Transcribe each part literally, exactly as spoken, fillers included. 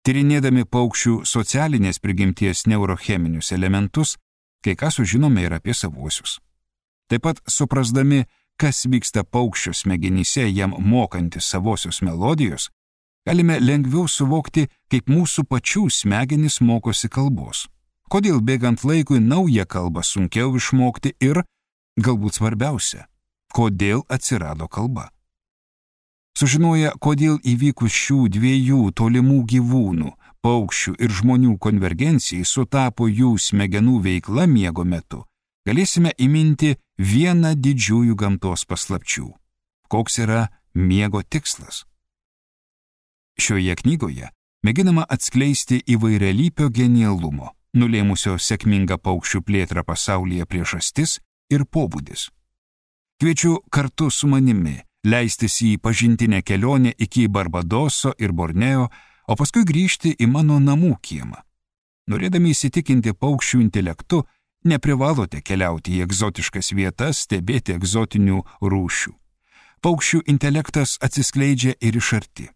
Tyrinėdami paukščių socialinės prigimties neurocheminius elementus, kai ką sužinome ir apie savuosius. Taip pat suprasdami, kas vyksta paukščio smegenyse jam mokantis savosios melodijos, galime lengviau suvokti, kaip mūsų pačių smegenys mokosi kalbos. Kodėl bėgant laikui naują kalbą sunkiau išmokti ir, galbūt svarbiausia, kodėl atsirado kalba. Sužinoję, kodėl įvykus šių dviejų tolimų gyvūnų, paukščių ir žmonių konvergencijai sutapo jų smegenų veikla miego metu, galėsime įminti vieną didžiųjų gamtos paslapčių. Koks yra miego tikslas? Šioje knygoje mėginama atskleisti įvairialypio genialumo, nulėmusio sėkmingą paukščių plėtrą pasaulyje priežastis ir pobūdis. Kviečiu kartu su manimi leistis į pažintinę kelionę iki Barbadoso ir Borneo, o paskui grįžti į mano namų kiemą. Norėdami įsitikinti paukščių intelektu, neprivalote keliauti į egzotiškas vietas, stebėti egzotinių rūšių. Paukščių intelektas atsiskleidžia ir iš arti.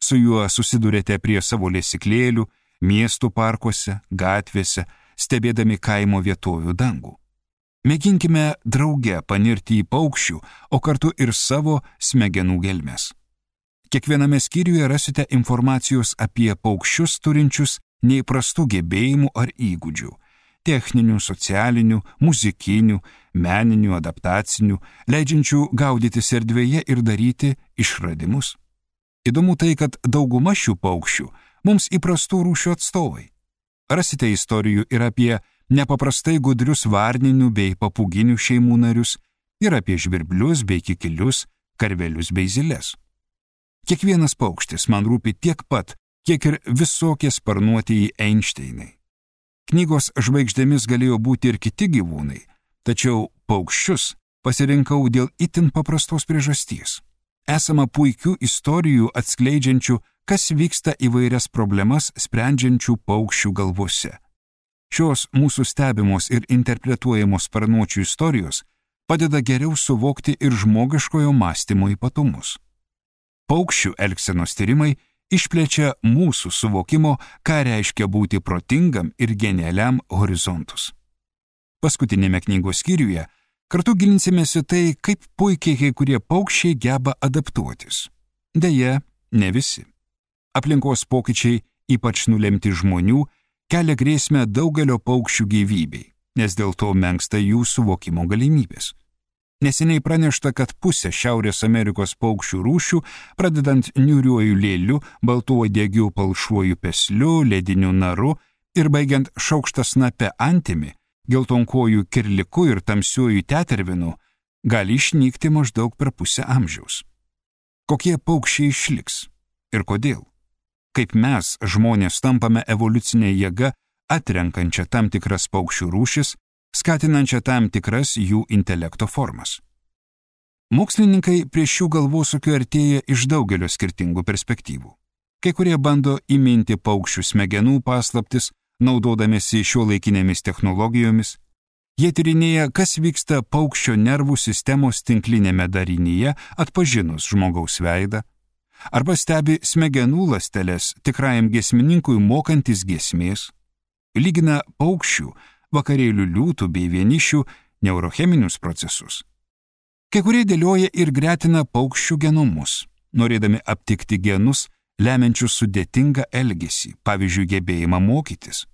Su juo susidurėte prie savo lesyklėlių, miestų parkuose, gatvėse, stebėdami kaimo vietovių dangų. Mėginkime drauge panirti į paukščių, o kartu ir savo smegenų gelmes. Kiekviename skyriuje rasite informacijos apie paukščius turinčius neįprastų gebėjimų ar įgūdžių – techninių, socialinių, muzikinių, meninių, adaptacinių, leidžiančių gaudytis erdvėje ir daryti išradimus. Įdomu tai, kad dauguma šių paukščių mums įprastų rūšių atstovai. Rasite istorijų ir apie nepaprastai gudrius varninių bei papūginių šeimų narius, ir apie žvirblius bei kikilius, karvelius bei ziles. Kiekvienas paukštis man rūpi tiek pat, kiek ir visokie sparnuotieji Einšteinai. Knygos žvaigždėmis galėjo būti ir kiti gyvūnai, tačiau paukščius pasirinkau dėl itin paprastos priežasties. Esama puikių istorijų atskleidžiančių, kas vyksta įvairias problemas sprendžiančių paukščių galvose. Šios mūsų stebimos ir interpretuojamos sparnuočių istorijos padeda geriau suvokti ir žmogiškojo mąstymo ypatumus. Paukščių elgsenos tyrimai išplečia mūsų suvokimo, ką reiškia būti protingam ir genialiam horizontus. Paskutinėme knygos skyriuje kartu gilinsimės į tai, kaip puikiai kai kurie paukščiai geba adaptuotis. Deja, ne visi. Aplinkos pokyčiai, ypač nulemti žmonių, kelia grėsmę daugelio paukščių gyvybei, nes dėl to menksta jų suvokimo galimybės. Neseniai pranešta, kad pusė Šiaurės Amerikos paukščių rūšių, pradedant niūriuoju lėliu, baltuodiegiu palšuoju pesliu, lediniu naru ir baigiant šaukštasnape antimi, geltonkojų kirliku ir tamsiuoju tetervinu, gali išnykti maždaug per pusę amžiaus. Kokie paukščiai išliks ir kodėl? Kaip mes, žmonės, tampame evoliucinė jėga, atrenkančią tam tikras paukščių rūšis, skatinančią tam tikras jų intelekto formas. Mokslininkai prie šių galvosūkių artėja iš daugelio skirtingų perspektyvų. Kai kurie bando įminti paukščių smegenų paslaptis, naudodamėsi šiuolaikinėmis technologijomis. Jie tyrinėja, kas vyksta paukščio nervų sistemos tinklinėme darinyje, atpažinus žmogaus veidą, arba stebi smegenų ląsteles tikrajam giesmininkui mokantis giesmės, lygina paukščių, vakarėlių liūtų bei vienišių neurocheminius procesus. Kai kurie dėlioja ir gretina paukščių genomus, norėdami aptikti genus, lemiančius sudėtingą elgesį, pavyzdžiui, gebėjimą mokytis.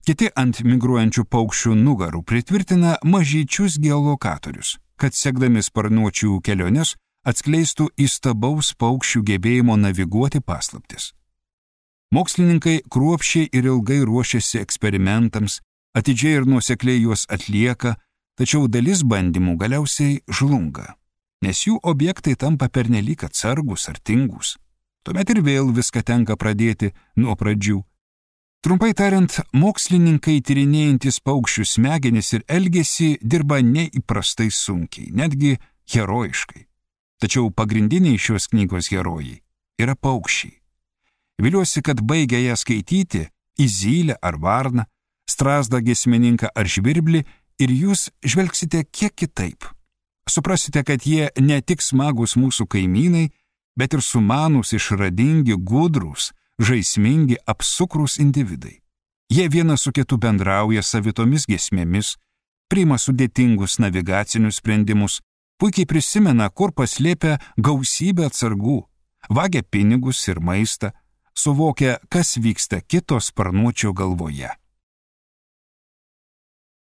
Kiti ant migruojančių paukščių nugarų pritvirtina mažyčius geolokatorius, kad sekdami sparnuočių keliones atskleistų įstabaus paukščių gebėjimo naviguoti paslaptis. Mokslininkai kruopščiai ir ilgai ruošiasi eksperimentams, atidžiai ir nuosekliai juos atlieka, tačiau dalis bandymų galiausiai žlunga, nes jų objektai tampa pernelyg atsargus ar tingus. Tuomet ir vėl viską tenka pradėti nuo pradžių. Trumpai tariant, mokslininkai tyrinėjantis paukščių smegenis ir elgesį dirba neįprastai sunkiai, netgi herojiškai. Tačiau pagrindiniai šios knygos herojai yra paukščiai. Viliuosi, kad baigę ją skaityti į zylę ar varną, strazdą giesmininką ar žvirblį ir jūs žvelgsite kiek kitaip. Suprasite, kad jie ne tik smagūs mūsų kaimynai, bet ir sumanūs, išradingi, gudrūs, žaismingi, apsukrūs individai. Jie vienas su kitu bendrauja savitomis giesmėmis, priima sudėtingus navigacinius sprendimus, puikiai prisimena, kur paslėpia gausybę atsargų, vagia pinigus ir maistą, suvokia, kas vyksta kito sparnuočio galvoje.